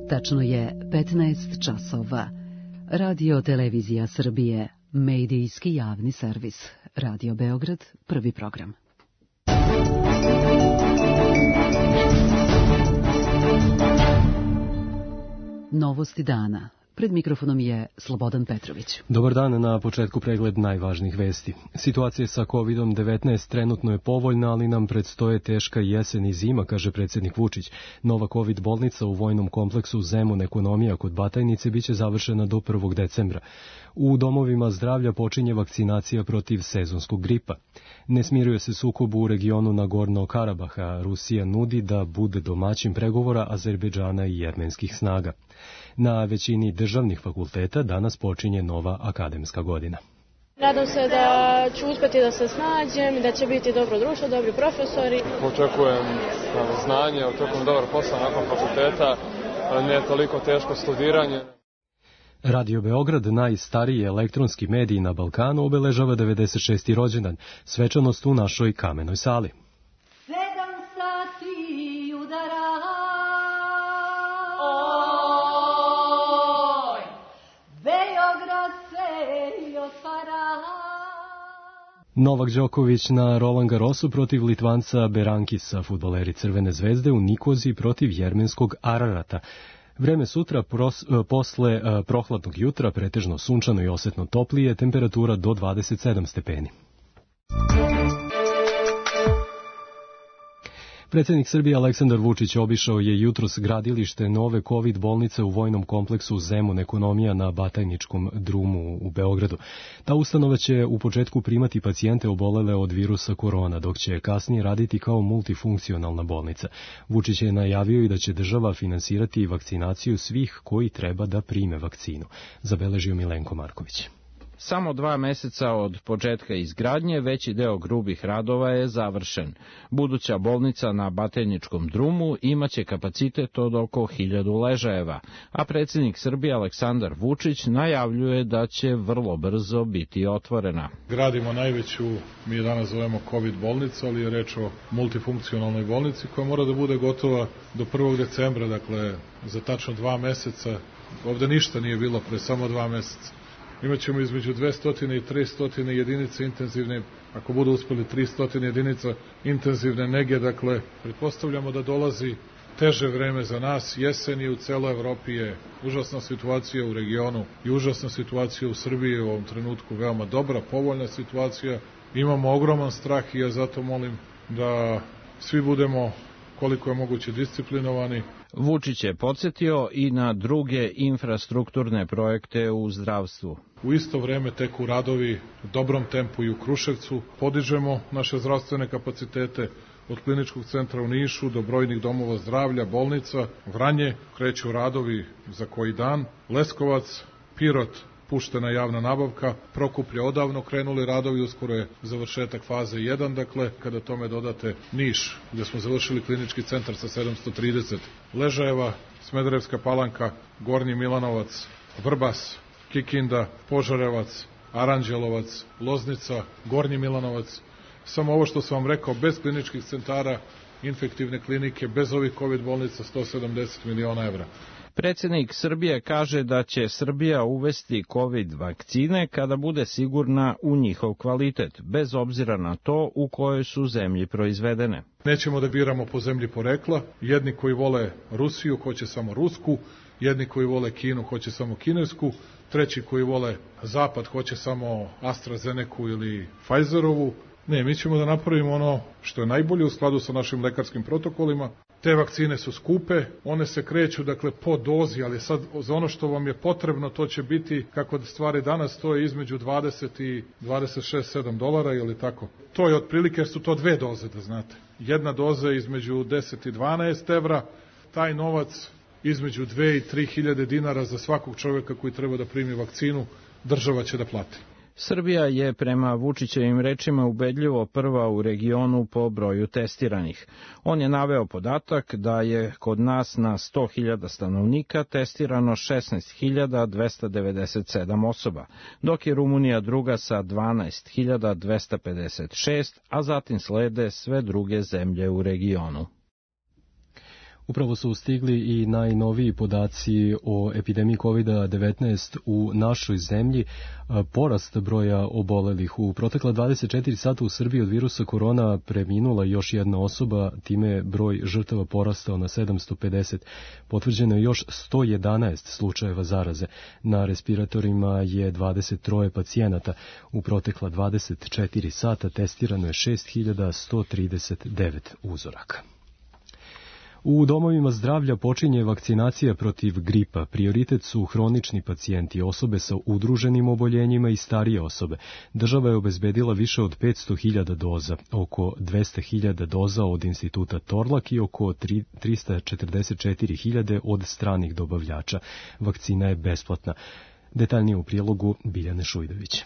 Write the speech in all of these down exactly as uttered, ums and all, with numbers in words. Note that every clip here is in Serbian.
Tačno je petnaest časova. Radio Televizija Srbije, medijski javni servis. Radio Beograd, prvi program. Novosti dana. Pred mikrofonom je Slobodan Petrović. Dobar dan, na početku pregled najvažnijih vesti. Situacija sa kovid devetnaest trenutno je povoljna, ali nam predstoje teška jesen i zima, kaže predsjednik Vučić. Nova COVID bolnica u vojnom kompleksu Zemun Ekonomija kod Batajnice biće završena do prvog decembra. U domovima zdravlja počinje vakcinacija protiv sezonskog gripa. Ne smiruje se sukob u regionu Nagorno-Karabaha. Rusija nudi da bude domaćin pregovora Azerbejdžana i jermenskih snaga. Na većini državnih fakulteta danas počinje nova akademska godina. Nadam se da ću uspjeti da se snađem, da će biti dobro društvo, dobri profesori. Očekujem znanje, očekujem dobar posao nakon fakulteta, ne toliko teško studiranje. Radio Beograd, najstariji elektronski medij na Balkanu, obeležava devedeset šesti rođendan, svečanost u našoj kamenoj sali. Sedam sati udara, oj, Beograd se otvara. Novak Đoković na Roland Garrosu protiv Litvanca Berankisa, fudbaleri Crvene zvezde u Nikozi protiv jermenskog Ararata. Vreme sutra pros, posle uh, prohladnog jutra, pretežno sunčano i osetno toplije, temperatura do dvadeset sedam stepeni. Predsjednik Srbije Aleksandar Vučić obišao je jutros gradilište nove COVID bolnice u vojnom kompleksu Zemun Ekonomija na Batajničkom drumu u Beogradu. Ta ustanova će u početku primati pacijente obolele od virusa korona, dok će kasnije raditi kao multifunkcionalna bolnica. Vučić je najavio i da će država finansirati vakcinaciju svih koji treba da prime vakcinu, zabeležio Milenko Marković. Samo dva meseca od početka izgradnje veći deo grubih radova je završen. Buduća bolnica na Batajničkom drumu imaće kapacitet od oko hiljadu ležajeva, a predsjednik Srbije Aleksandar Vučić najavljuje da će vrlo brzo biti otvorena. Gradimo najveću, mi je danas zovemo COVID bolnicu, ali je reč o multifunkcionalnoj bolnici koja mora da bude gotova do prvog decembra, dakle za tačno dva meseca. Ovde ništa nije bilo pre samo dva meseca. Imaćemo između dvesta i trista jedinice intenzivne, ako budu uspeli trista jedinica intenzivne nege, dakle, pretpostavljamo da dolazi teže vreme za nas, jesen i u celoj Evropi je užasna situacija u regionu i užasna situacija u Srbiji u ovom trenutku, veoma dobra, povoljna situacija, imamo ogroman strah i ja zato molim da svi budemo koliko je moguće disciplinovani. Vučić je podsjetio i na druge infrastrukturne projekte u zdravstvu. U isto vreme teku radovi u dobrom tempu i u Kruševcu. Podižemo naše zdravstvene kapacitete od kliničkog centra u Nišu do brojnih domova zdravlja, bolnica, Vranje, kreću radovi za koji dan, Leskovac, Pirot, puštena javna nabavka, Prokuplje odavno krenuli radovi, uskoro je završetak faze jedan, dakle, kada tome dodate Niš, gde smo završili klinički centar sa sedamsto trideset ležajeva, Smederevska Palanka, Gornji Milanovac, Vrbas, Kikinda, Požarevac, Aranđelovac, Loznica, Gornji Milanovac, samo ovo što sam vam rekao, bez kliničkih centara, infektivne klinike, bez ovih COVID bolnica, sto sedamdeset miliona evra. Predsjednik Srbije kaže da će Srbija uvesti COVID vakcine kada bude sigurna u njihov kvalitet, bez obzira na to u kojoj su zemlji proizvedene. Nećemo da biramo po zemlji porekla, jedni koji vole Rusiju hoće samo rusku, jedni koji vole Kinu hoće samo kinesku, treći koji vole Zapad hoće samo AstraZeneca ili Pfizerovu. Ne, mi ćemo da napravimo ono što je najbolje u skladu sa našim lekarskim protokolima. Te vakcine su skupe, one se kreću dakle po dozi, ali sad za ono što vam je potrebno to će biti, kako stvari danas stoje, između dvadeset i dvadeset šest sedam dolara ili tako. To je otprilike, jer su to dve doze, da znate. Jedna doza je između deset i dvanaest evra, taj novac između dve i tri hiljade dinara za svakog čovjeka koji treba da primi vakcinu, država će da plati. Srbija je prema Vučićevim rečima ubedljivo prva u regionu po broju testiranih. On je naveo podatak da je kod nas na sto hiljada stanovnika testirano šesnaest hiljada dvesta devedeset sedam osoba, dok je Rumunija druga sa dvanaest hiljada dvesta pedeset šest, a zatim slede sve druge zemlje u regionu. Upravo su stigli i najnoviji podaci o epidemiji kovid devetnaest u našoj zemlji. Porast broja obolelih. U protekla dvadeset četiri sata u Srbiji od virusa korona preminula još jedna osoba, time je broj žrtava porastao na sedamsto pedeset. Potvrđeno je još sto jedanaest slučajeva zaraze. Na respiratorima je dvadeset tri pacijenata. U protekla dvadeset četiri sata testirano je šest hiljada sto trideset devet uzoraka. U domovima zdravlja počinje vakcinacija protiv gripa. Prioritet su hronični pacijenti, osobe sa udruženim oboljenjima i starije osobe. Država je obezbedila više od petsto hiljada doza, oko dvesta hiljada doza od instituta Torlak i oko trista četrdeset četiri hiljade od stranih dobavljača. Vakcina je besplatna. Detaljnije u prilogu Biljane Šujdović.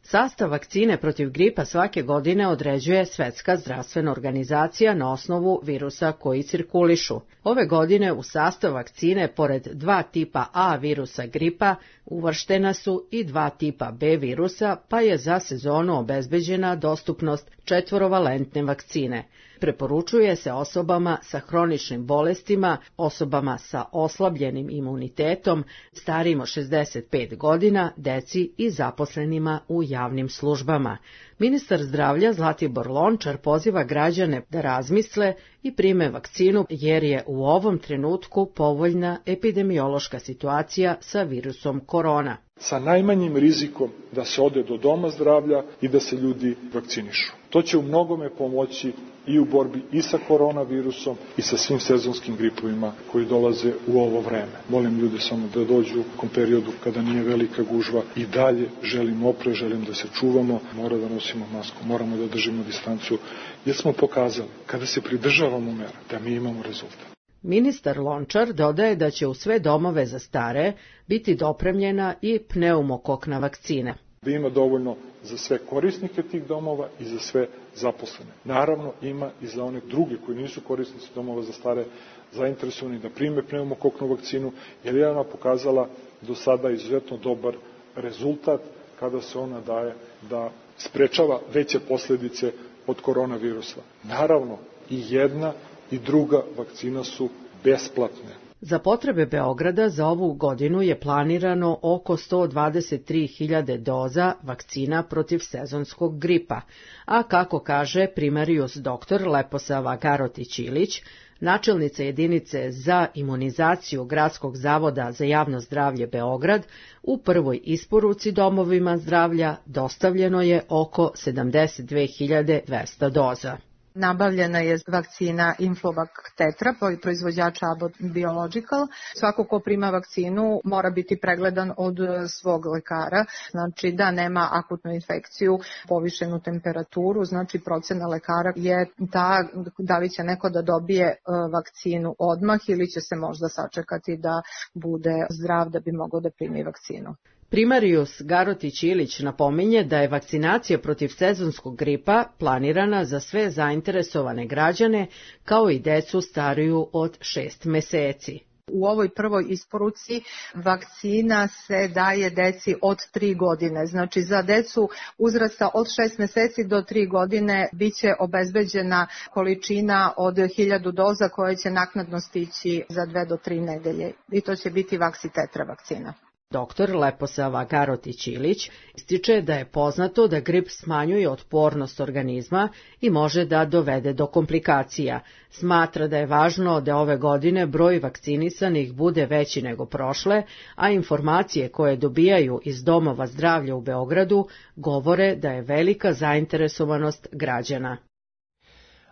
Sastav vakcine protiv gripa svake godine određuje Svetska zdravstvena organizacija na osnovu virusa koji cirkulišu. Ove godine u sastav vakcine, pored dva tipa A virusa gripa, uvrštena su i dva tipa B virusa, pa je za sezonu obezbeđena dostupnost četvorovalentne vakcine. Preporučuje se osobama sa hroničnim bolestima, osobama sa oslabljenim imunitetom, starijim od šezdeset pet godina, deci i zaposlenima u javnim službama. Ministar zdravlja Zlatibor Lončar poziva građane da razmisle i prime vakcinu jer je u ovom trenutku povoljna epidemiološka situacija sa virusom korona. Sa najmanjim rizikom da se ode do doma zdravlja i da se ljudi vakcinišu. To će u mnogome pomoći i u borbi i sa koronavirusom i sa svim sezonskim gripovima koji dolaze u ovo vreme. Molim ljude samo da dođu u tom periodu kada nije velika gužva i dalje želim opre, želim da se čuvamo, mora da nosimo masku, moramo da držimo distancu, jer smo pokazali kada se pridržavamo mera da mi imamo rezultat. Ministar Lončar dodaje da će u sve domove za stare biti dopremljena i pneumokokna vakcina. Da ima dovoljno za sve korisnike tih domova i za sve zaposlene. Naravno, ima i za one druge koji nisu korisnici domova za stare zainteresovani da prime pneumokoknu vakcinu, jer je ona pokazala do sada izuzetno dobar rezultat kada se ona daje da sprečava veće posledice od koronavirusa. Naravno, i jedna i druga vakcina su besplatne. Za potrebe Beograda za ovu godinu je planirano oko sto dvadeset tri hiljade doza vakcina protiv sezonskog gripa, a kako kaže primarijus doktor Leposava Garotić-Ilić, načelnica jedinice za imunizaciju Gradskog zavoda za javno zdravlje Beograd, u prvoj isporuci domovima zdravlja dostavljeno je oko sedamdeset dve hiljade dvesta doza. Nabavljena je vakcina Influvac Tetra, proizvođača Abbott Biological. Svako ko prima vakcinu mora biti pregledan od svog lekara, znači da nema akutnu infekciju, povišenu temperaturu, znači procena lekara je ta da li će neko da dobije vakcinu odmah ili će se možda sačekati da bude zdrav da bi mogao da primi vakcinu. Primarijus Garotić-Ilić napominje da je vakcinacija protiv sezonskog gripa planirana za sve zainteresovane građane, kao i decu stariju od šest meseci. U ovoj prvoj isporuci vakcina se daje deci od tri godine, znači za decu uzrasta od šest meseci do tri godine biće obezbeđena količina od hiljadu doza koje će naknadno stići za dve do tri nedelje i to će biti Vaxitetra vakcina. Doktor Leposava Garotić-Ilić ističe da je poznato da grip smanjuje otpornost organizma i može da dovede do komplikacija. Smatra da je važno da ove godine broj vakcinisanih bude veći nego prošle, a informacije koje dobijaju iz domova zdravlja u Beogradu govore da je velika zainteresovanost građana.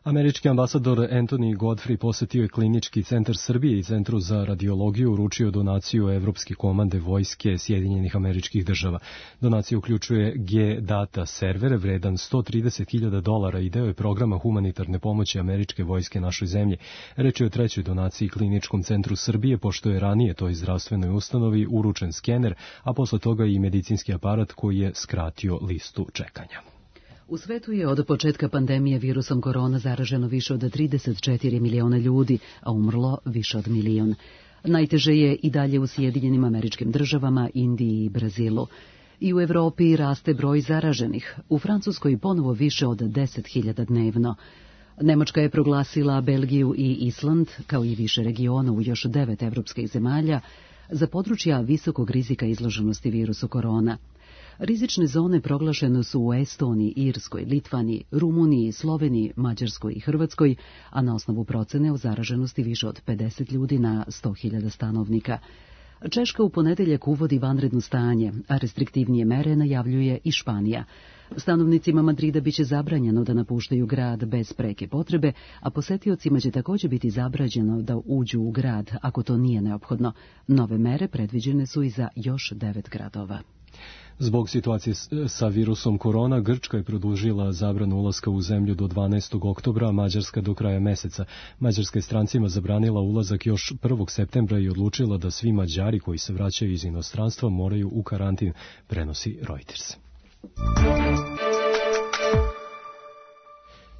Američki ambasador Anthony Godfrey posetio je Klinički centar Srbije i Centru za radiologiju, uručio donaciju Evropske komande vojske Sjedinjenih Američkih Država. Donacija uključuje G-Data server vredan sto trideset hiljada dolara i deo je programa humanitarne pomoći američke vojske našoj zemlji. Reč je o trećoj donaciji Kliničkom centru Srbije, pošto je ranije toj zdravstvenoj ustanovi uručen skener, a posle toga i medicinski aparat koji je skratio listu čekanja. U svetu je od početka pandemije virusom korona zaraženo više od trideset četiri miliona ljudi, a umrlo više od milion. Najteže je i dalje u Sjedinjenim Američkim Državama, Indiji i Brazilu. I u Evropi raste broj zaraženih, u Francuskoj ponovo više od deset hiljada dnevno. Nemačka je proglasila Belgiju i Island, kao i više regiona u još devet evropskih zemalja, za područja visokog rizika izloženosti virusu korona. Rizične zone proglašene su u Estoniji, Irskoj, Litvani, Rumuniji, Sloveniji, Mađarskoj i Hrvatskoj, a na osnovu procene o zaraženosti više od pedeset ljudi na sto hiljada stanovnika. Češka u ponedeljak uvodi vanredno stanje, a restriktivnije mere najavljuje i Španija. Stanovnicima Madrida biće zabranjeno da napuštaju grad bez preke potrebe, a posetiocima će također biti zabranjeno da uđu u grad ako to nije neophodno. Nove mere predviđene su i za još devet gradova. Zbog situacije sa virusom korona, Grčka je produžila zabranu ulaska u zemlju do dvanaestog oktobra, a Mađarska do kraja meseca. Mađarska je strancima zabranila ulazak još prvog septembra i odlučila da svi Mađari koji se vraćaju iz inostranstva moraju u karantin, prenosi Reuters.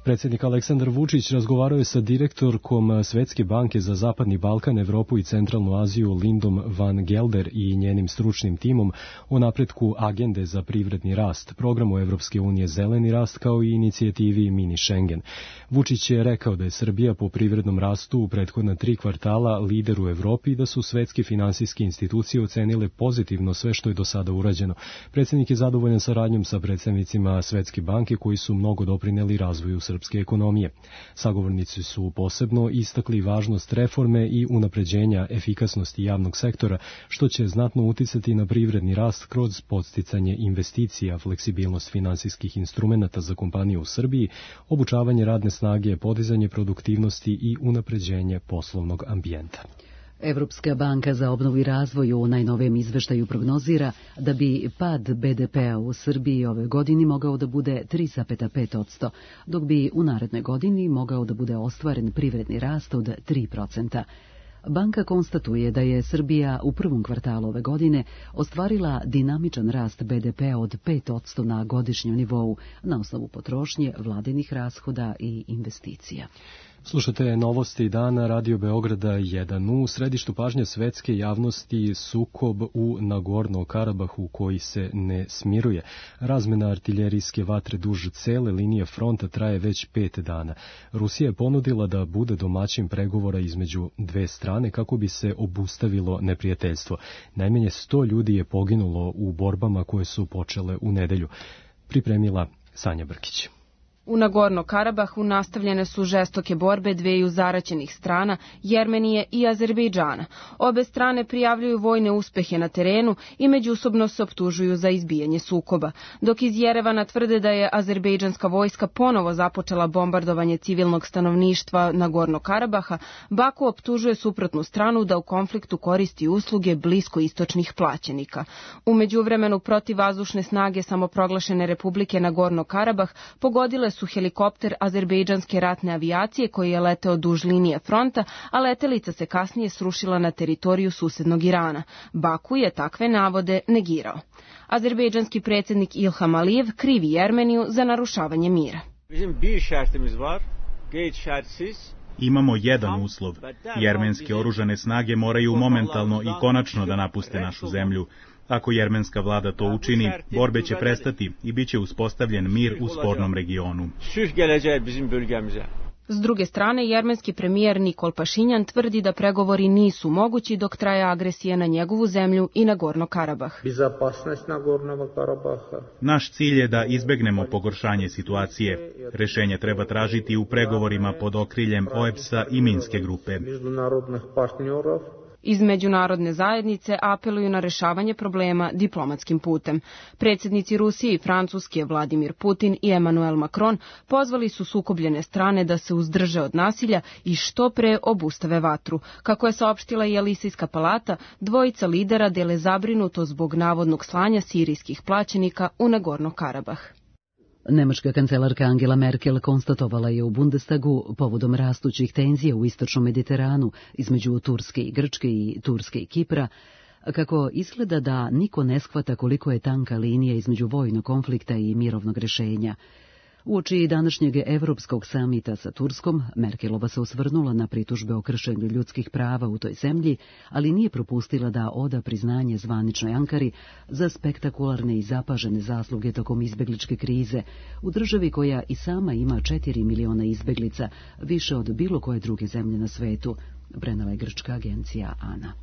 Predsjednik Aleksandar Vučić razgovarao je sa direktorkom Svetske banke za Zapadni Balkan, Evropu i Centralnu Aziju Lindom van Gelder i njenim stručnim timom o napretku agende za privredni rast, programu Evropske unije Zeleni rast kao i inicijativi Mini Schengen. Vučić je rekao da je Srbija po privrednom rastu u prethodna tri kvartala lider u Evropi i da su svetske finansijske institucije ocenile pozitivno sve što je do sada urađeno. Predsjednik je zadovoljan saradnjom sa predstavnicima Svetske banke koji su mnogo doprineli razvoju srpske ekonomije. Sagovornici su posebno istakli važnost reforme i unapređenja efikasnosti javnog sektora, što će znatno uticati na privredni rast kroz podsticanje investicija, fleksibilnost finansijskih instrumenata za kompanije u Srbiji, obučavanje radne snage, podizanje produktivnosti i unapređenje poslovnog ambijenta. Evropska banka za obnovu i razvoj u najnovijem izveštaju prognozira da bi pad be de pea u Srbiji ove godini mogao da bude tri zarez pet posto, dok bi u narednoj godini mogao da bude ostvaren privredni rast od tri procenta. Banka konstatuje da je Srbija u prvom kvartalu ove godine ostvarila dinamičan rast be de pea od pet posto na godišnjem nivou na osnovu potrošnje, vladinih rashoda i investicija. Slušate novosti dana Radio Beograda jedan. U središtu pažnje svetske javnosti sukob u Nagorno-Karabahu koji se ne smiruje. Razmena artiljerijske vatre duž cele linije fronta traje već pet dana. Rusija je ponudila da bude domaćin pregovora između dve strane kako bi se obustavilo neprijateljstvo. Najmanje sto ljudi je poginulo u borbama koje su počele u nedelju. Pripremila Sanja Brkić. U Nagorno-Karabahu nastavljene su žestoke borbe dveju zaraćenih strana, Jermenije i Azerbejdžana. Obe strane prijavljuju vojne uspehe na terenu i međusobno se optužuju za izbijanje sukoba. Dok iz Jerevana tvrde da je azerbejdžanska vojska ponovo započela bombardovanje civilnog stanovništva Nagorno-Karabaha, Baku optužuje suprotnu stranu da u konfliktu koristi usluge bliskoistočnih plaćenika. U međuvremenu protivvazdušne snage samoproglašene Republike Nagorno-Karabah pogodile su su helikopter azerbejdžanske ratne avijacije koji je leteo duž linije fronta, a letelica se kasnije srušila na teritoriju susednog Irana. Baku je takve navode negirao. Azerbejdžanski predsjednik Ilham Alijev krivi Jermeniju za narušavanje mira. Imamo jedan uslov. Jermenske oružane snage moraju momentalno i konačno da napuste našu zemlju. Ako jermenska vlada to učini, borbe će prestati i bit će uspostavljen mir u spornom regionu. S druge strane, jermenski premijer Nikol Pašinjan tvrdi da pregovori nisu mogući dok traje agresija na njegovu zemlju i Nagorno-Karabah. Naš cilj je da izbegnemo pogoršanje situacije. Rešenje treba tražiti u pregovorima pod okriljem O E B S-a i Minske grupe. Iz međunarodne zajednice apeluju na rešavanje problema diplomatskim putem. Predsjednici Rusije i Francuske Vladimir Putin i Emmanuel Macron pozvali su sukobljene strane da se uzdrže od nasilja i što pre obustave vatru. Kako je saopštila i Elisejska palata, dvojica lidera dele zabrinuto zbog navodnog slanja sirijskih plaćenika u Nagorno-Karabah. Nemačka kancelarka Angela Merkel konstatovala je u Bundestagu povodom rastućih tenzija u istočnom Mediteranu između Turske i Grčke i Turske i Kipra, kako izgleda da niko ne shvata koliko je tanka linija između vojnog konflikta i mirovnog rešenja. Uoči današnjeg Evropskog samita sa Turskom, Merkelova se osvrnula na pritužbe o kršenju ljudskih prava u toj zemlji, ali nije propustila da oda priznanje zvaničnoj Ankari za spektakularne i zapažene zasluge tokom izbegličke krize u državi koja i sama ima četiri miliona izbeglica, više od bilo koje druge zemlje na svetu, prenela je grčka agencija ANA.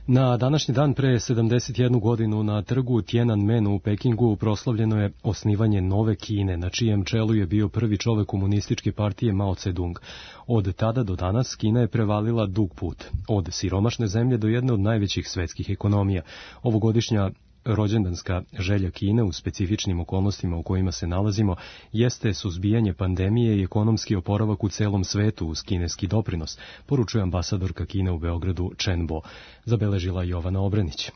Na današnji dan pre sedamdeset jednu godinu na trgu Tiananmenu u Pekingu proslavljeno je osnivanje nove Kine, na čijem čelu je bio prvi čovek komunističke partije Mao Tse-dung. Od tada do danas Kina je prevalila dug put, od siromašne zemlje do jedne od najvećih svetskih ekonomija. Ovogodišnja rođendanska želja Kine u specifičnim okolnostima u kojima se nalazimo jeste suzbijanje pandemije i ekonomski oporavak u celom svetu uz kineski doprinos, poručuje ambasadorka Kine u Beogradu Chen Bo, zabeležila Jovana Obrenić.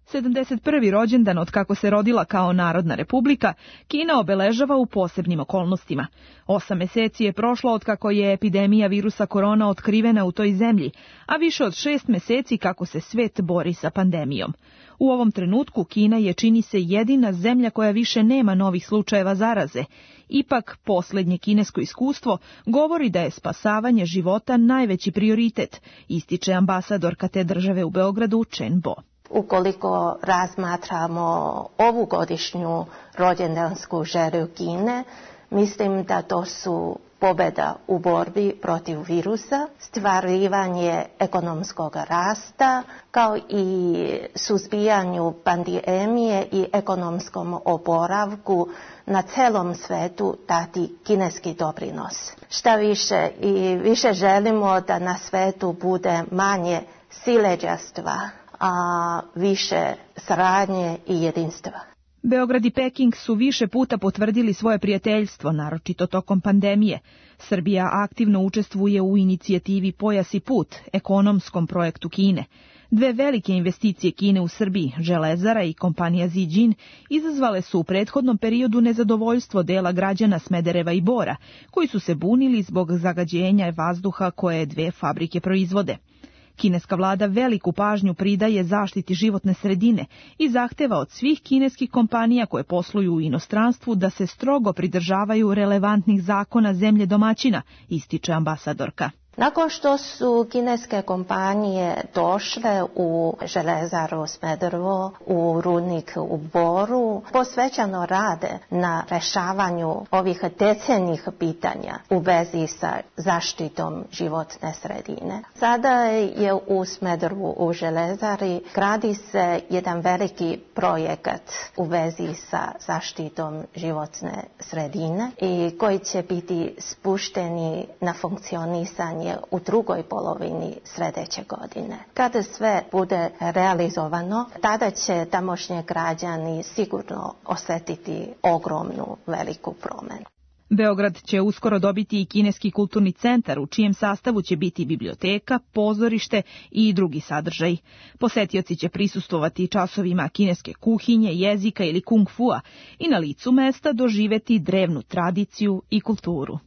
sedamdeset prvi rođendan od kako se rodila kao Narodna republika, Kina obeležava u posebnim okolnostima. Osam meseci je prošlo od kako je epidemija virusa korona otkrivena u toj zemlji, a više od šest meseci kako se svet bori sa pandemijom. U ovom trenutku Kina je, čini se, jedina zemlja koja više nema novih slučajeva zaraze. Ipak, posljednje kinesko iskustvo govori da je spasavanje života najveći prioritet, ističe ambasadorka te države u Beogradu Chen Bo. Ukoliko razmatramo ovu godišnju rođendansku želju Kine, mislim da to su pobjeda u borbi protiv virusa, stvarivanje ekonomskog rasta, kao i suzbijanju pandemije i ekonomskom oporavku na celom svetu dati kineski doprinos. Šta više i više želimo da na svetu bude manje siledžastva, a više saradnje i jedinstva. Beograd i Peking su više puta potvrdili svoje prijateljstvo, naročito tokom pandemije. Srbija aktivno učestvuje u inicijativi Pojas i put, ekonomskom projektu Kine. Dve velike investicije Kine u Srbiji, Železara i kompanija Zijin, izazvale su u prethodnom periodu nezadovoljstvo dela građana Smedereva i Bora, koji su se bunili zbog zagađenja vazduha koje dve fabrike proizvode. Kineska vlada veliku pažnju pridaje zaštiti životne sredine i zahteva od svih kineskih kompanija koje posluju u inostranstvu da se strogo pridržavaju relevantnih zakona zemlje domaćina, ističe ambasadorka. Nakon što su kineske kompanije došle u Železaru Smederevo, u rudnik u Boru, posvećeno rade na rešavanju ovih decenijih pitanja u vezi sa zaštitom životne sredine. Sada je u Smederevu u Železari gradi se jedan veliki projekat u vezi sa zaštitom životne sredine i koji će biti spušteni na funkcionisanje u drugoj polovini sljedeće godine. Kada sve bude realizovano, tada će tamošnji građani sigurno osjetiti ogromnu veliku promjenu. Beograd će uskoro dobiti i kineski kulturni centar u čijem sastavu će biti biblioteka, pozorište i drugi sadržaj. Posetioci će prisustvovati časovima kineske kuhinje, jezika ili kung fua i na licu mesta doživeti drevnu tradiciju i kulturu.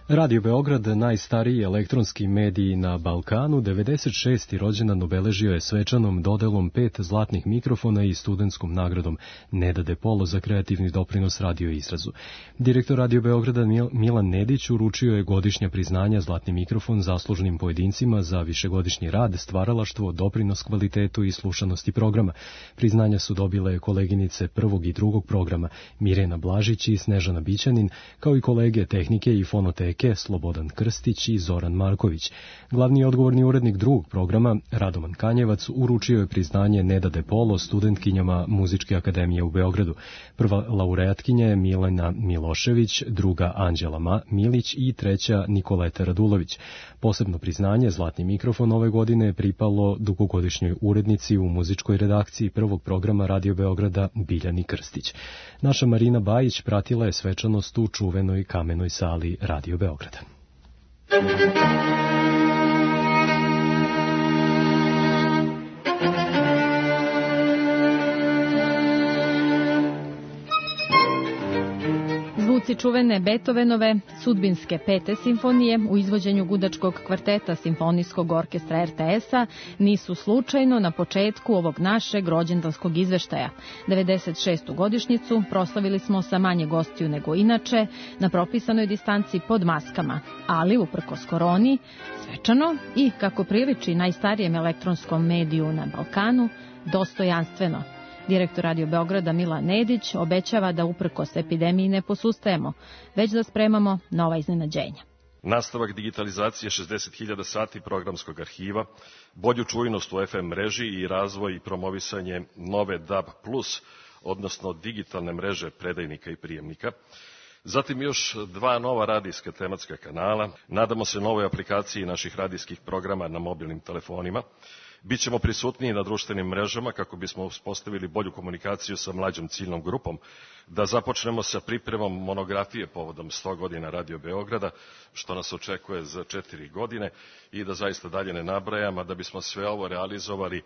Radio Beograd, najstariji elektronski mediji na Balkanu, devedeset šesti rođendan obeležio je svečanom dodelom pet zlatnih mikrofona i studentskom nagradom Neda De Polo za kreativni doprinos radio izrazu. Direktor Radio Beograda Milan Nedić uručio je godišnja priznanja zlatni mikrofon zaslužnim pojedincima za višegodišnji rad, stvaralaštvo, doprinos kvalitetu i slušanosti programa. Priznanja su dobile koleginice prvog i drugog programa Mirena Blažić i Snežana Bićanin, kao i kolege tehnike i fonoteke Slobodan Krstić i Zoran Marković. Glavni odgovorni urednik drugog programa, Radoman Kanjevac, uručio je priznanje Neda De Polo studentkinjama Muzičke akademije u Beogradu. Prva laureatkinja je Milena Milošević, druga Anđela Ma Milić i treća Nikoleta Radulović. Posebno priznanje zlatni mikrofon ove godine je pripalo dugogodišnjoj urednici u muzičkoj redakciji prvog programa Radio Beograda Biljani Krstić. Naša Marina Bajić pratila je svečanost u čuvenoj kamenoj sali Radio Beograda. Snimci čuvene Beethovenove sudbinske pete simfonije u izvođenju gudačkog kvarteta Simfonijskog orkestra er te es-a nisu slučajno na početku ovog našeg rođendanskog izveštaja. devedeset šestu godišnjicu proslavili smo sa manje gostiju nego inače, na propisanoj distanci pod maskama, ali uprkos koroni, svečano i, kako priliči najstarijem elektronskom mediju na Balkanu, dostojanstveno. Direktor Radio Beograda Milan Nedić obećava da uprkos epidemiji ne posustajemo, već da spremamo nova iznenađenja. Nastavak digitalizacije šezdeset hiljada sati programskog arhiva, bolju čujnost u ef em mreži i razvoj i promovisanje nove D A B plus, odnosno digitalne mreže predajnika i prijemnika. Zatim još dva nova radijska tematska kanala. Nadamo se novoj aplikaciji naših radijskih programa na mobilnim telefonima. Bićemo prisutniji na društvenim mrežama kako bismo uspostavili bolju komunikaciju sa mlađom ciljnom grupom, da započnemo sa pripremom monografije povodom sto godina Radio Beograda, što nas očekuje za četiri godine, i da zaista dalje ne nabrajam, a da bismo sve ovo realizovali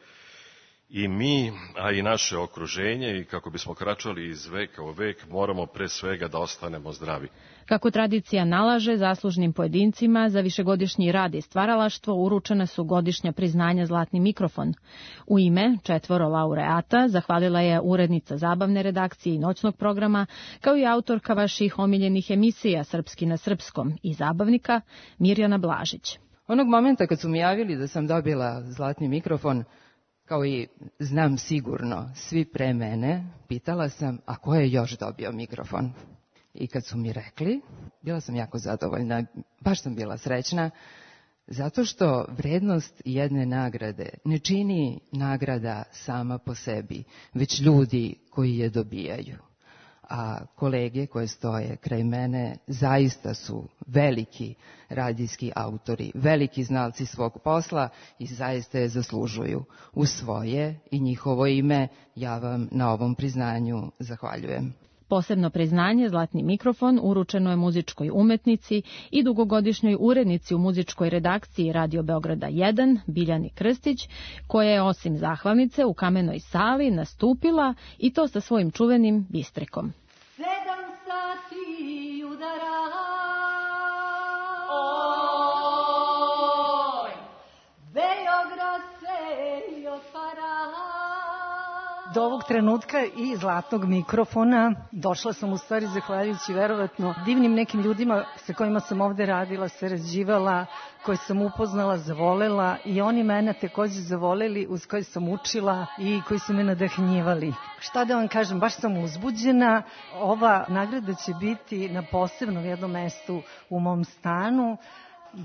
i mi, a i naše okruženje, i kako bismo kračali iz veka u vek, moramo pre svega da ostanemo zdravi. Kako tradicija nalaže, zaslužnim pojedincima za višegodišnji rad i stvaralaštvo uručena su godišnja priznanja Zlatni mikrofon. U ime četvoro laureata zahvalila je urednica zabavne redakcije i noćnog programa, kao i autorka vaših omiljenih emisija Srpski na srpskom i zabavnika Mirjana Blažić. Onog momenta kad su mi javili da sam dobila Zlatni mikrofon, kao i znam sigurno svi pre mene, pitala sam, a ko je još dobio mikrofon? I kad su mi rekli, bila sam jako zadovoljna, baš sam bila srećna, zato što vrednost jedne nagrade ne čini nagrada sama po sebi, već ljudi koji je dobijaju. A kolege koje stoje kraj mene zaista su veliki radijski autori, veliki znalci svog posla i zaista je zaslužuju. U svoje i njihovo ime ja vam na ovom priznanju zahvaljujem. Posebno priznanje Zlatni mikrofon uručeno je muzičkoj umetnici i dugogodišnjoj urednici u muzičkoj redakciji Radio Beograda jedan, Biljani Krstić, koja je osim zahvalnice u Kamenoj sali nastupila i to sa svojim čuvenim bistrikom. Sedam sati udara, oj, Beograd se otvara. Do ovog trenutka i Zlatnog mikrofona došla sam u stvari zahvaljujući verovatno divnim nekim ljudima sa kojima sam ovde radila, sarađivala, koje sam upoznala, zavolela i oni mene takođe zavoleli, uz koje sam učila i koji su me nadahnjivali. Šta da vam kažem, baš sam uzbuđena. Ova nagrada će biti na posebnom jednom mestu u mom stanu.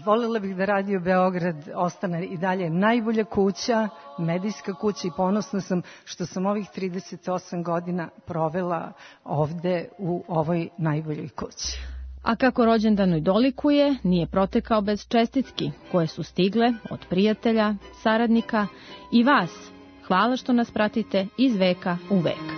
Volela bih da Radio Beograd ostane i dalje najbolja kuća, medijska kuća, i ponosna sam što sam ovih trideset osam godina provela ovde u ovoj najboljoj kući. A kako rođendanoj dolikuje, nije protekao bez čestitki koje su stigle od prijatelja, saradnika i vas. Hvala što nas pratite iz veka u vek.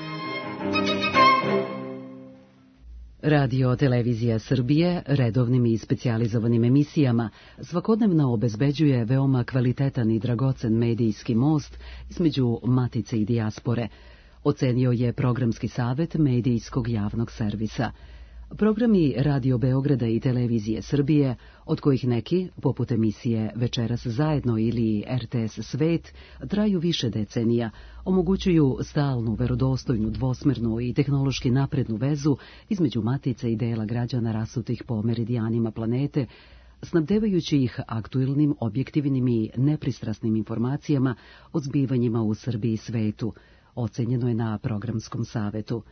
Radio Televizija Srbije redovnim i specijalizovanim emisijama svakodnevno obezbeđuje veoma kvalitetan i dragocen medijski most između matice i dijaspore, ocenio je programski savet medijskog javnog servisa. Programi Radio Beograda i Televizije Srbije, od kojih neki, poput emisije Večeras zajedno ili er te es Svet, traju više decenija, omogućuju stalnu, verodostojnu, dvosmernu i tehnološki naprednu vezu između matice i dela građana rasutih po meridijanima planete, snabdevajući ih aktuelnim, objektivnim i nepristrasnim informacijama o zbivanjima u Srbiji i svetu, ocenjeno je na programskom savetu.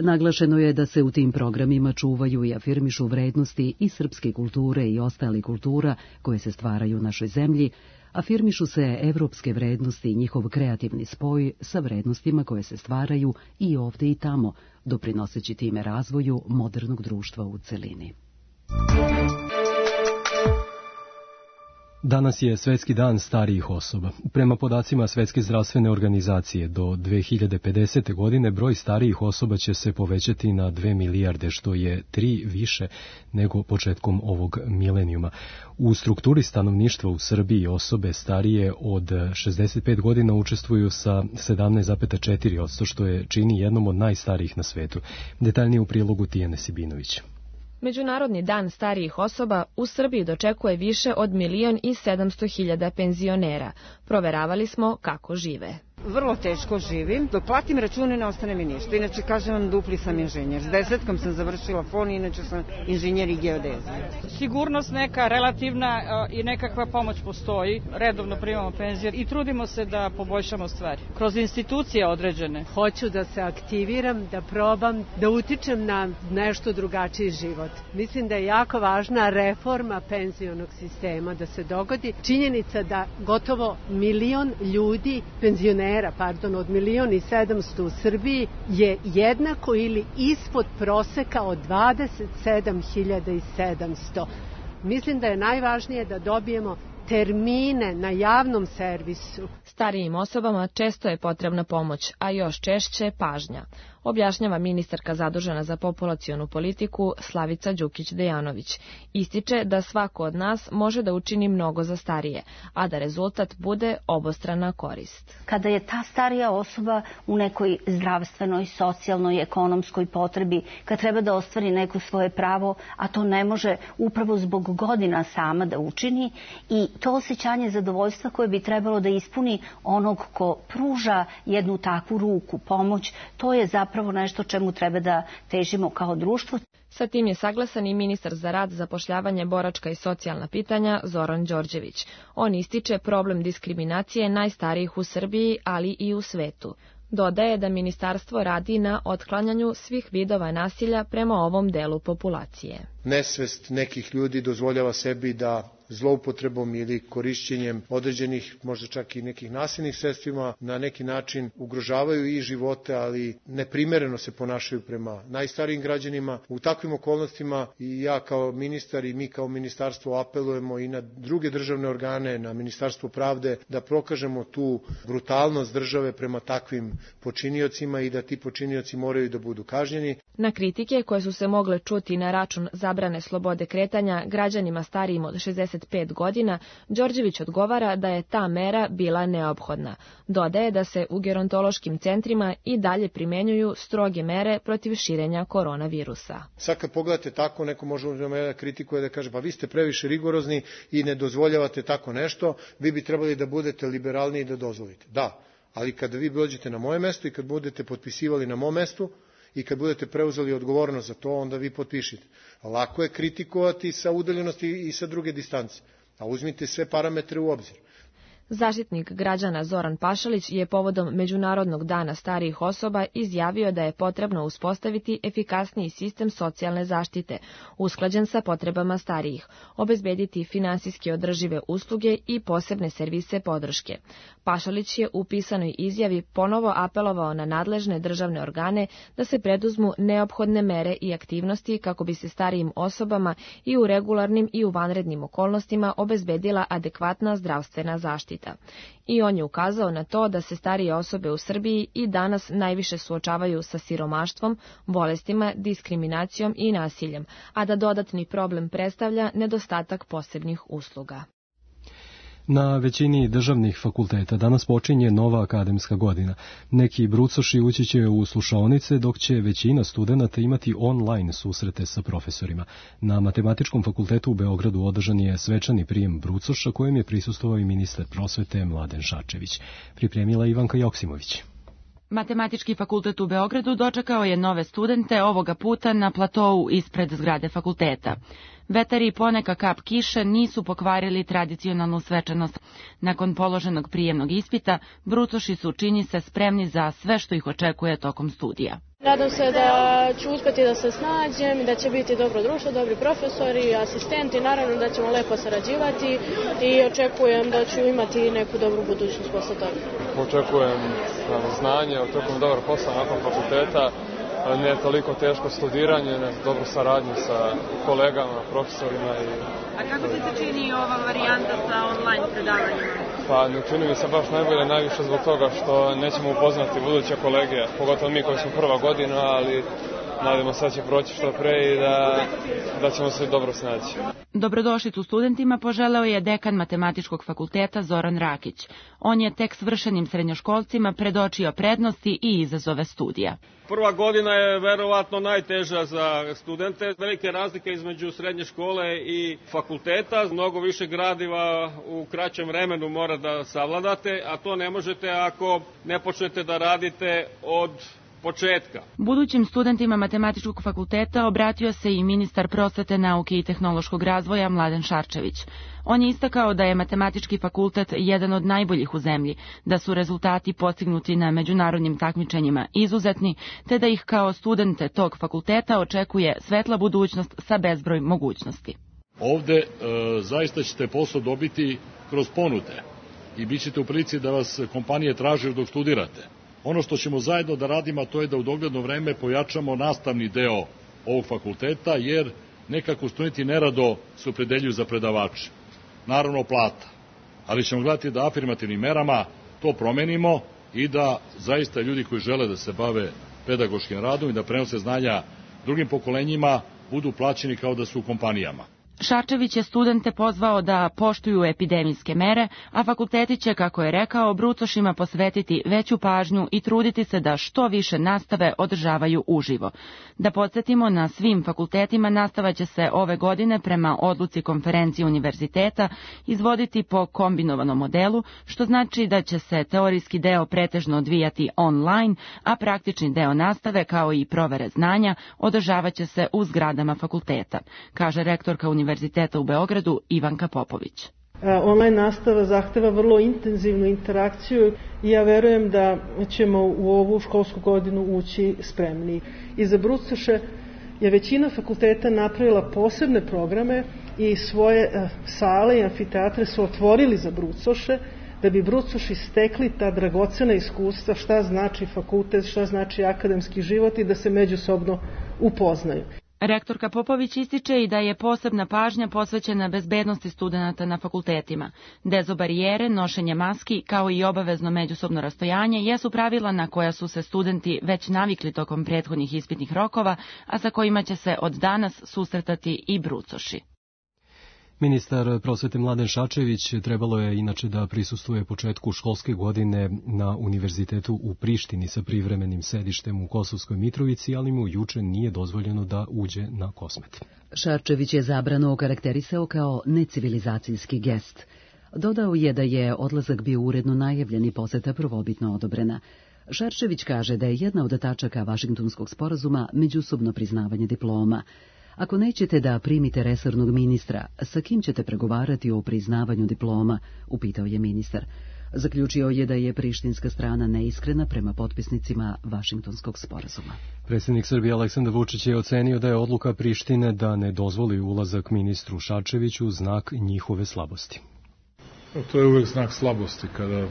Naglašeno je da se u tim programima čuvaju i afirmišu vrednosti i srpske kulture i ostale kultura koje se stvaraju u našoj zemlji, afirmišu se evropske vrednosti i njihov kreativni spoj sa vrednostima koje se stvaraju i ovde i tamo, doprinoseći time razvoju modernog društva u celini. Danas je Svetski dan starijih osoba. Prema podacima Svetske zdravstvene organizacije, do dve hiljade pedesete. godine broj starijih osoba će se povećati na dve milijarde, što je tri više nego početkom ovog milenijuma. U strukturi stanovništva u Srbiji osobe starije od šezdeset pet godina učestvuju sa sedamnaest zarez četiri posto, što je čini jednom od najstarijih na svetu. Detaljnije u prilogu Tijane Sibinović. Međunarodni dan starijih osoba u Srbiji dočekuje više od milion i sedamsto hiljada penzionera. Proveravali smo kako žive. Vrlo teško živim. Dok platim račune ne ostane mi ništa. Inače, kažem vam, dupli sam inženjer. S desetkom sam završila fon, inače sam inženjer i geodezije. Sigurnost neka relativna i nekakva pomoć postoji. Redovno primamo penzije i trudimo se da poboljšamo stvari. Kroz institucije određene. Hoću da se aktiviram, da probam, da utičem na nešto drugačiji život. Mislim da je jako važna reforma penzionog sistema da se dogodi. Činjenica da gotovo milion ljudi, penzionera, pardon, od milion i sedamsto u Srbiji je jednako ili ispod proseka od dvadeset sedam hiljada sedamsto. Mislim da je najvažnije da dobijemo termine na javnom servisu. Starijim osobama često je potrebna pomoć, a još češće pažnja, objašnjava ministarka zadužena za populacionu politiku Slavica Đukić-Dejanović. Ističe da svako od nas može da učini mnogo za starije, a da rezultat bude obostrana korist. Kada je ta starija osoba u nekoj zdravstvenoj, socijalnoj, ekonomskoj potrebi, kad treba da ostvari neko svoje pravo, a to ne može upravo zbog godina sama da učini, i to osjećanje zadovoljstva koje bi trebalo da ispuni onog ko pruža jednu takvu ruku, pomoć, to je zapravo nešto čemu treba da težimo kao društvo. Sa tim je saglasan i ministar za rad, zapošljavanje, boračka i socijalna pitanja Zoran Đorđević. On ističe problem diskriminacije najstarijih u Srbiji, ali i u svetu. Dodaje da ministarstvo radi na otklanjanju svih vidova nasilja prema ovom delu populacije. Nesvest nekih ljudi dozvoljava sebi da zloupotrebom ili korišćenjem određenih, možda čak i nekih nasilnih sredstvima, na neki način ugrožavaju i živote, ali neprimereno se ponašaju prema najstarijim građanima. U takvim okolnostima i ja kao ministar i mi kao ministarstvo apelujemo i na druge državne organe, na Ministarstvo pravde, da prokažemo tu brutalnost države prema takvim počiniocima i da ti počinioci moraju da budu kažnjeni. Na kritike koje su se mogle čuti na račun zabrane slobode kretanja građanima starijim od šezdeset pet godina, Đorđević odgovara da je ta mera bila neophodna. Dodaje da se u gerontološkim centrima i dalje primenjuju stroge mere protiv širenja koronavirusa. Sad kad pogledate tako, neko može da kritikuje da kaže pa vi ste previše rigorozni i ne dozvoljavate tako nešto, vi bi trebali da budete liberalniji i da dozvolite. Da, ali kada vi dođete na moje mesto i kad budete potpisivali na mom mestu, i kad budete preuzeli odgovornost za to, onda vi potpišite. Lako je kritikovati sa udaljenosti i sa druge distance, a uzmite sve parametre u obzir. Zaštitnik građana Zoran Pašalić je povodom Međunarodnog dana starijih osoba izjavio da je potrebno uspostaviti efikasniji sistem socijalne zaštite, usklađen sa potrebama starijih, obezbediti finansijski održive usluge i posebne servise podrške. Pašalić je u pisanoj izjavi ponovo apelovao na nadležne državne organe da se preduzmu neophodne mere i aktivnosti kako bi se starijim osobama i u regularnim i u vanrednim okolnostima obezbedila adekvatna zdravstvena zaštita. I on je ukazao na to da se starije osobe u Srbiji i danas najviše suočavaju sa siromaštvom, bolestima, diskriminacijom i nasiljem, a da dodatni problem predstavlja nedostatak posebnih usluga. Na većini državnih fakulteta danas počinje nova akademska godina. Neki brucoši ući će u slušaonice, dok će većina studenata imati online susrete sa profesorima. Na Matematičkom fakultetu u Beogradu održan je svečani prijem brucoša kojem je prisustvovao i ministar prosvete Mladen Šarčević. Pripremila Ivanka Joksimović. Matematički fakultet u Beogradu dočekao je nove studente ovoga puta na platou ispred zgrade fakulteta. Vetar i poneka kap kiše nisu pokvarili tradicionalnu svečanost. Nakon položenog prijemnog ispita, brucoši su, čini se, spremni za sve što ih očekuje tokom studija. Nadam se da ću uspjeti da se snađem, da će biti dobro društvo, dobri profesori, asistenti, naravno da ćemo lepo sarađivati i očekujem da ću imati neku dobru budućnost posle toga. Očekujem znanje, očekujem dobar posao nakon fakulteta, ne toliko teško studiranje, ne dobru saradnju sa kolegama, profesorima. I... A kako ti se čini ova varijanta sa online predavanjima? Pa ne čini mi se baš najbolje, najviše zbog toga što nećemo upoznati buduće kolege, pogotovo mi koji smo prva godina, ali nadamo se da će proći što pre i da, da ćemo se dobro snaći. Dobrodošlicu studentima poželeo je dekan Matematičkog fakulteta Zoran Rakić. On je tek svršenim srednjoškolcima predočio prednosti i izazove studija. Prva godina je verovatno najteža za studente. Velike razlike između srednje škole i fakulteta. Mnogo više gradiva u kraćem vremenu mora da savladate, a to ne možete ako ne počnete da radite od početka. Budućim studentima Matematičkog fakulteta obratio se i ministar prosvete, nauke i tehnološkog razvoja Mladen Šarčević. On je istakao da je Matematički fakultet jedan od najboljih u zemlji, da su rezultati postignuti na međunarodnim takmičenjima izuzetni, te da ih kao studente tog fakulteta očekuje svetla budućnost sa bezbroj mogućnosti. Ovde e, zaista ćete posao dobiti kroz ponude i bit ćete u prilici da vas kompanije traže dok studirate. Ono što ćemo zajedno da radimo, to je da u dogledno vreme pojačamo nastavni deo ovog fakulteta, jer nekako studenti nerado se opredeljuju za predavače. Naravno plata, ali ćemo gledati da afirmativnim merama to promenimo i da zaista ljudi koji žele da se bave pedagoškim radom i da prenose znanja drugim pokolenjima budu plaćeni kao da su u kompanijama. Šarčević je studente pozvao da poštuju epidemijske mere, a fakulteti će, kako je rekao, brucošima posvetiti veću pažnju i truditi se da što više nastave održavaju uživo. Da podsjetimo, na svim fakultetima nastava će se ove godine prema odluci konferencije univerziteta izvoditi po kombinovanom modelu, što znači da će se teorijski deo pretežno odvijati online, a praktični deo nastave, kao i provere znanja, održavaće se u zgradama fakulteta, kaže rektorka univerziteta Univerziteta u Beogradu Ivanka Popović. Online nastava zahteva vrlo intenzivnu interakciju i ja verujem da ćemo u ovu školsku godinu ući spremni. I za brucoše je većina fakulteta napravila posebne programe i svoje sale i amfiteatre su otvorili za brucoše, da bi brucoši stekli ta dragocena iskustva šta znači fakultet, šta znači akademski život i da se međusobno upoznaju. Rektorka Popović ističe i da je posebna pažnja posvećena bezbednosti studenata na fakultetima. Dezobarijere, nošenje maski, kao i obavezno međusobno rastojanje jesu pravila na koja su se studenti već navikli tokom prethodnih ispitnih rokova, a sa kojima će se od danas susretati i brucoši. Ministar prosvete Mladen Šarčević trebalo je inače da prisustvuje početku školske godine na Univerzitetu u Prištini sa privremenim sedištem u Kosovskoj Mitrovici, ali mu juče nije dozvoljeno da uđe na Kosmet. Šarčević je zabranu okarakterisao kao necivilizacijski gest. Dodao je da je odlazak bio uredno najavljen i poseta prvobitno odobrena. Šarčević kaže da je jedna od tačaka Vašingtonskog sporazuma međusobno priznavanje diploma. Ako nećete da primite resornog ministra, sa kim ćete pregovarati o priznavanju diploma, upitao je ministar. Zaključio je da je prištinska strana neiskrena prema potpisnicima Vašingtonskog sporazuma. Predsjednik Srbije Aleksandar Vučić je ocenio da je odluka Prištine da ne dozvoli ulazak ministru Šarčeviću znak njihove slabosti. To je uvek znak slabosti kada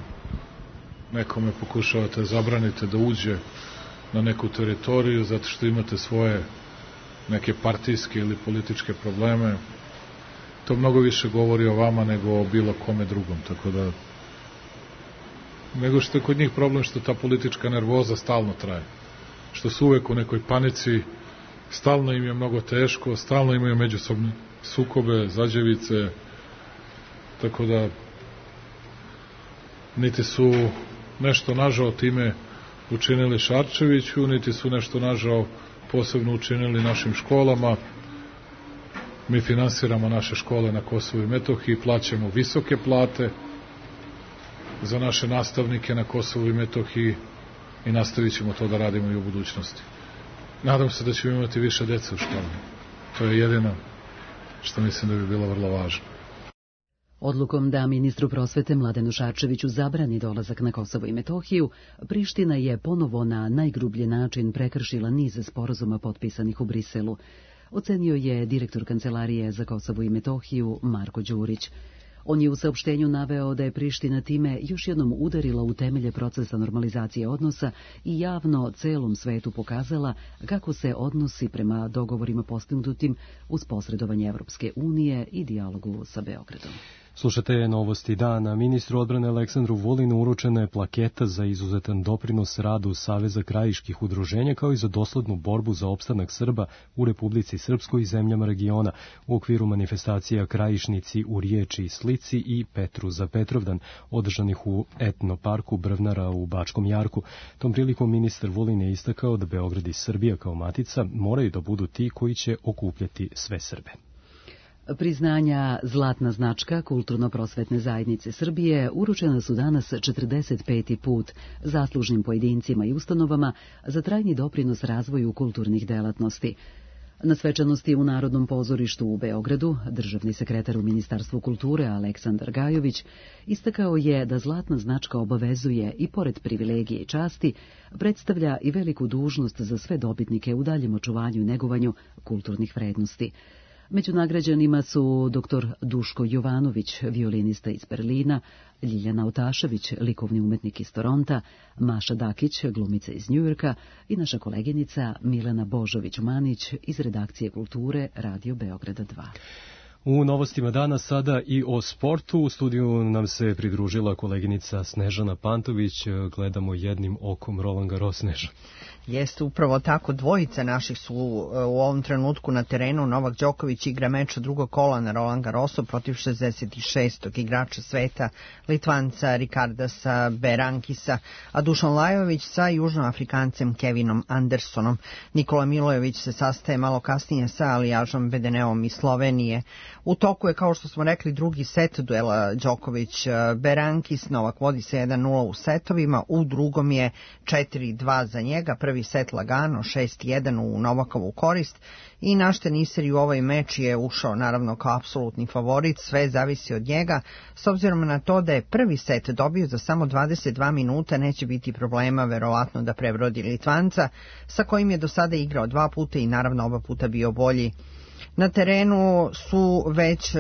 nekome pokušavate zabranite da uđe na neku teritoriju zato što imate svoje neke partijske ili političke probleme. To mnogo više govori o vama nego o bilo kome drugom, tako da nego što je kod njih problem što ta politička nervoza stalno traje, što su uvek u nekoj panici, stalno im je mnogo teško, stalno imaju međusobne sukobe, zađevice, tako da niti su nešto nažao time učinili Šarčeviću, niti su nešto nažao posebno učinili našim školama. Mi finansiramo naše škole na Kosovu i Metohiji, plaćamo visoke plate za naše nastavnike na Kosovu i Metohiji i nastavit ćemo to da radimo i u budućnosti. Nadam se da ćemo imati više dece u školi. To je jedino što mislim da bi bilo vrlo važno. Odlukom da ministru prosvete Mladenu Šarčeviću zabrani dolazak na Kosovo i Metohiju, Priština je ponovo na najgrublji način prekršila niz sporazuma potpisanih u Briselu, ocenio je direktor Kancelarije za Kosovo i Metohiju Marko Đurić. On je u saopštenju naveo da je Priština time još jednom udarila u temelje procesa normalizacije odnosa i javno celom svetu pokazala kako se odnosi prema dogovorima postignutim uz posredovanje Evropske unije i dijalogu sa Beogradom. Slušate novosti dana. Ministru odbrane Aleksandru Vulinu uručena je plaketa za izuzetan doprinos radu Saveza krajiških udruženja kao i za doslednu borbu za opstanak Srba u Republici Srpskoj i zemljama regiona u okviru manifestacija Krajišnici u riječi i slici i Petru za Petrovdan održanih u etnoparku Brvnara u Bačkom Jarku. Tom prilikom ministar Vulin je istakao da Beograd i Srbija kao matica moraju da budu ti koji će okupljati sve Srbe. Priznanja Zlatna značka Kulturno-prosvetne zajednice Srbije uručena su danas četrdeset peti put zaslužnim pojedincima i ustanovama za trajni doprinos razvoju kulturnih delatnosti. Na svečanosti u Narodnom pozorištu u Beogradu državni sekretar u Ministarstvu kulture Aleksandar Gajović istakao je da Zlatna značka obavezuje i pored privilegije i časti predstavlja i veliku dužnost za sve dobitnike u daljem očuvanju i negovanju kulturnih vrednosti. Među nagrađanima su doktor Duško Jovanović, violinista iz Berlina, Ljiljana Otašević, likovni umetnik iz Toronta, Maša Dakić, glumica iz Njujorka i naša koleginica Milena Božović-Manić iz redakcije kulture Radio Beograda dva. U novostima dana sada i o sportu. U studiju nam se pridružila koleginica Snežana Pantović. Gledamo jednim okom Roland Garros. Sneža. Jeste upravo tako, dvojica naših su u ovom trenutku na terenu. Novak Đoković igra meč drugog kola na Roland Garrosu protiv šezdeset šestog igrača sveta, Litvanca Rikardasa Berankisa, a Dušan Lajović sa južnoafrikancem Kevinom Andersonom. Nikola Milojević se sastaje malo kasnije sa Alijažom Bedeneom iz Slovenije. U toku je, kao što smo rekli, drugi set duela Đoković-Berankis. Novak vodi se jedan nula u setovima, u drugom je četiri dva za njega. Prvi set lagano, šest jedan u Novakovu korist i naš teniser u ovaj meč je ušao naravno kao apsolutni favorit, sve zavisi od njega. S obzirom na to da je prvi set dobio za samo dvadeset dva minuta, neće biti problema verovatno da prebrodi Litvanca, sa kojim je do sada igrao dva puta i naravno oba puta bio bolji. Na terenu su već,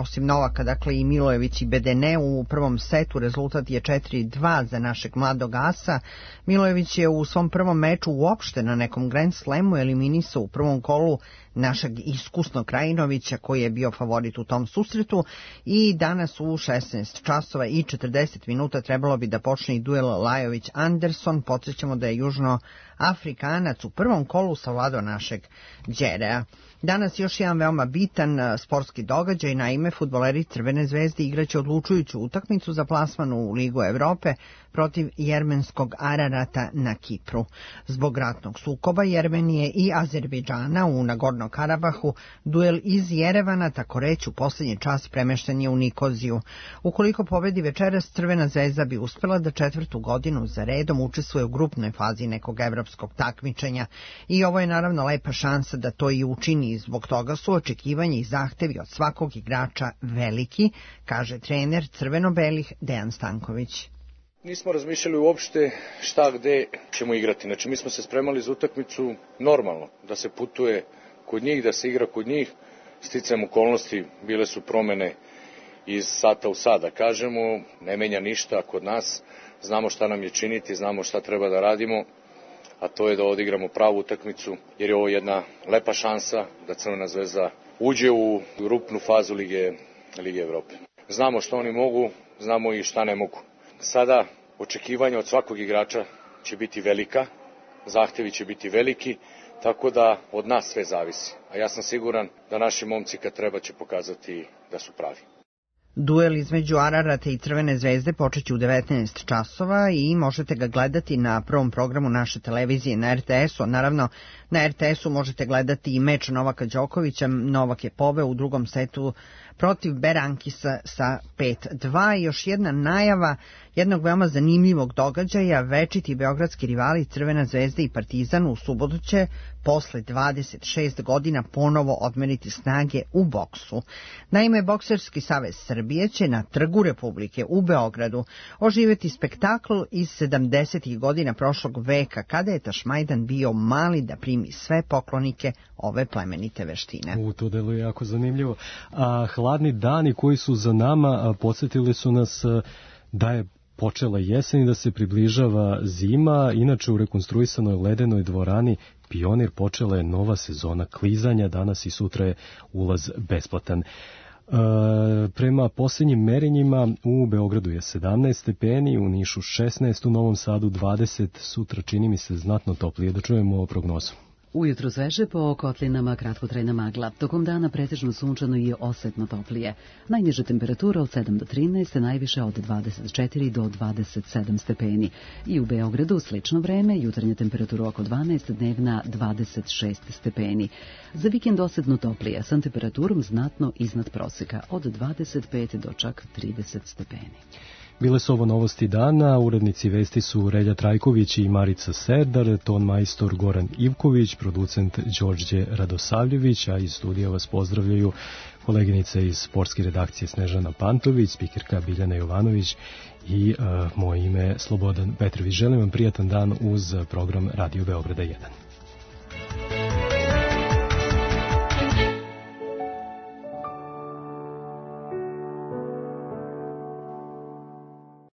osim Novaka, dakle i Milojević i Bedene. U prvom setu rezultat je četiri dva za našeg mladog asa. Milojević je u svom prvom meču uopšte na nekom Grand Slamu eliminisao u prvom kolu našeg iskusnog Krajinovića koji je bio favorit u tom susretu i danas u šesnaest časova i četrdeset minuta trebalo bi da počne i duel Lajović-Anderson. Podsjećamo da je Južnoafrikanac u prvom kolu savladao našeg Đerea. Danas još jedan veoma bitan sportski događaj, naime fudbaleri Crvene zvezde igraće odlučujuću utakmicu za plasman u Ligu Evrope protiv jermenskog Ararata na Kipru. Zbog ratnog sukoba Jermenije i Azerbejdžana u Nagorno Karabahu, duel iz Jerevana, tako reći, u posljednji čas premešten je u Nikoziju. Ukoliko pobedi večeras, Crvena zvezda bi uspela da četvrtu godinu za redom učestvuje u grupnoj fazi nekog evropskog takmičenja i ovo je naravno lepa šansa da to i učini. Zbog toga su očekivanja i zahtevi od svakog igrača veliki, kaže trener crveno-belih Dejan Stanković. Nismo razmišljali uopšte šta gde ćemo igrati. Znači mi smo se spremali za utakmicu normalno, da se putuje kod njih, da se igra kod njih. Sticajem okolnosti bile su promene iz sata u sat, da kažemo, ne menja ništa kod nas. Znamo šta nam je činiti, znamo šta treba da radimo, a to je da odigramo pravu utakmicu, jer je ovo jedna lepa šansa da Crvena zvezda uđe u grupnu fazu Lige, Lige Evrope. Znamo što oni mogu, znamo i šta ne mogu. Sada očekivanja od svakog igrača će biti velika, zahtevi će biti veliki, tako da od nas sve zavisi. A ja sam siguran da naši momci kad treba će pokazati da su pravi. Duel između Ararata i Crvene zvezde počeće u devetnaest časova i možete ga gledati na prvom programu naše televizije na er te esu. Naravno, na er te esu možete gledati i meč Novaka Đokovića. Novak je poveo u drugom setu protiv Berankisa sa pet dva. I još jedna najava jednog veoma zanimljivog događaja. Večiti beogradski rivali Crvena zvezda i Partizan u subotu će posle dvadeset šest godina ponovo odmeriti snage u boksu. Naime, Bokserski savez Srbije će na Trgu Republike u Beogradu oživjeti spektakl iz sedamdesetih godina prošlog veka, kada je Tašmajdan bio mali da primi sve poklonike ove plemenite veštine. U, to deluje jako zanimljivo. A hladni dani koji su za nama podsjetili su nas da je počela jesen i da se približava zima. Inače, u rekonstruisanoj ledenoj dvorani Pionir počela je nova sezona klizanja. Danas i sutra je ulaz besplatan. E, Prema posljednjim merenjima u Beogradu je sedamnaest stepeni, u Nišu šesnaest, u Novom Sadu dvadeset, sutra čini mi se znatno toplije. Da čujemo prognozu. Ujutro sveže, po kotlinama kratkotrajna magla. Tokom dana pretežno sunčano i osetno toplije. Najniža temperatura od sedam do trinaest, najviše od dvadeset četiri do dvadeset sedam stepeni. I u Beogradu slično vreme, jutarnja temperatura oko dvanaest, dnevna dvadeset šest stepeni. Za vikend osetno toplije, sa temperaturom znatno iznad proseka, od dvadeset pet do čak trideset stepeni. Bile su ovo novosti dana, urednici vesti su Relja Trajković i Marica Serdar, ton majstor Goran Ivković, producent Đorđe Radosavljević, a iz studija vas pozdravljaju koleginice iz sportske redakcije Snežana Pantović, spikerka Biljana Jovanović i uh, moje ime Slobodan Petrović. Želim vam prijatan dan uz program Radio Beograda jedan.